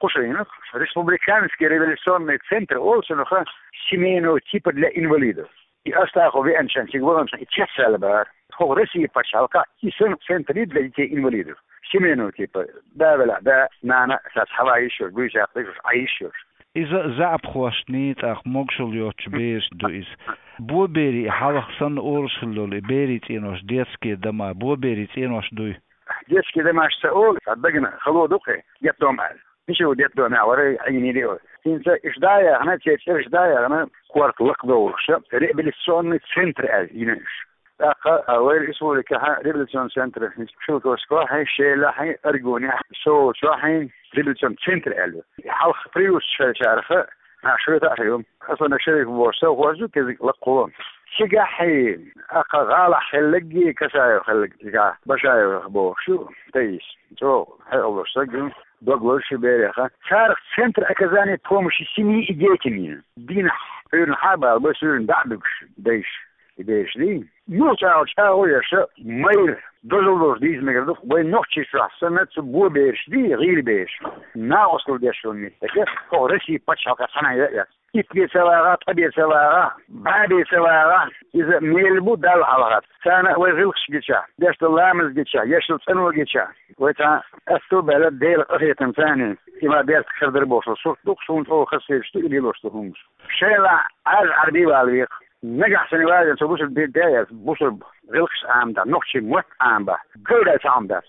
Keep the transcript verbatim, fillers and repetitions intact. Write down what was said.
Ушинах республиканский революционный центр олсунах семейного типа для инвалидов. И астаху веанчан сигваланчан и чесалбар. Хо Россия пачалка и сон центр для детей инвалидов. Семейного типа. Да, вела, да, нана, сас хава ищёш, буйсяхтыш, а ищёш. Иза заапхошт ни тах могшул йоч беш ду из. Бо бери халах сан оршиллол и бери ценош детские дома, бо бери ценош дуй. Детский домашца ол, а дагна холодук, я дома. Ничего, детдоме, а вара, а не дело. Синца ишдая, она те ишдая, она кварт лакдоуша, реабилитационный центр, а, инеш. Таха, а вайр республика, ха, реабилитационный центр, Шелковского, хай, Шела, хай, Аргуня, Соучо, хай, реабилитационный центр, а. Халх приус шарха, а, шрета, хай, Хасан Шериф, бо, со, хозу, кезик, лакхо. Сига, хай, аха, гала, хеллеги, касаю, хеллеги, башаю, бо, шу, тейс. Цо, хай, олош, сагу, доглор, ши береха. Царх центр оказания помощи семьи и детям. Дин, хюрн, хабал, бо, сюрн, да, дугш, дейш, и дейш, ди. Ну, цао, цао, яша, майр, дозол дош, диз мегер дух, вай нохчи шуахсана, цу бо берш, ди, гил берш. На осл дешон ми. Эке, хо Россия пачалка сана я, я. Ит бе цавара, та бе цавара, ба бе цавара, иза мел бу дал халгат. Цана вай гилхш гича, дешта ламаз гича, яшыл цанва гича. Вай та асту бела дел ахетан цани. Има берт хердер бошо, сурт дух, сунт о хасевшту, или лошту хумш. Шела аз арби валвих. Нагахсани валвих, со бусур бе дяяс, бусур гилхш амда, нохчи мот амба. Гылда цамдас.